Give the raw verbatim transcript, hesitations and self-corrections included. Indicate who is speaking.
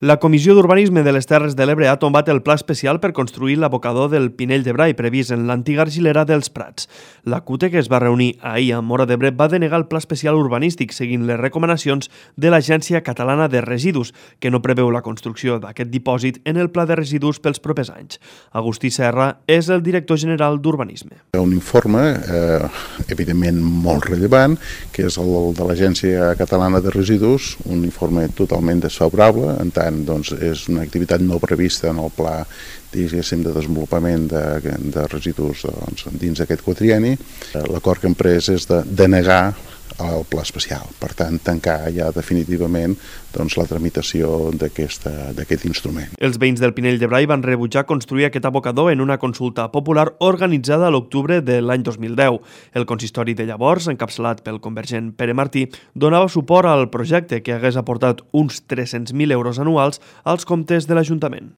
Speaker 1: La Comissió d'Urbanisme de les Terres de l'Ebre ha tombat el pla especial per construir l'abocador del Pinell de Brai previst en l'antiga argilera dels Prats. La CUTE, que es va reunir ahir a Móra d'Ebre, va denegar el pla especial urbanístic seguint les recomanacions de l'Agència Catalana de Residus, que no preveu la construcció d'aquest dipòsit en el pla de residus pels propers anys. Agustí Serra és el director general d'Urbanisme.
Speaker 2: Un informe, eh, evidentment molt rellevant, que és el de l'Agència Catalana de Residus, un informe totalment desfavorable, en tant doncs, és una activitat no prevista en el pla diguéssim, de desenvolupament de, de residus doncs, dins d'aquest quatrienni. L'acord que hem pres és de denegar el pla especial, per tant, tancar ja definitivament doncs, la tramitació d'aquest instrument.
Speaker 1: Els veïns del Pinell de Brai van rebutjar construir aquest abocador en una consulta popular organitzada a l'octubre de l'any dos mil deu. El consistori de llavors, encapçalat pel convergent Pere Martí, donava suport al projecte que hagués aportat uns tres-cents mil euros anuals als comptes de l'Ajuntament.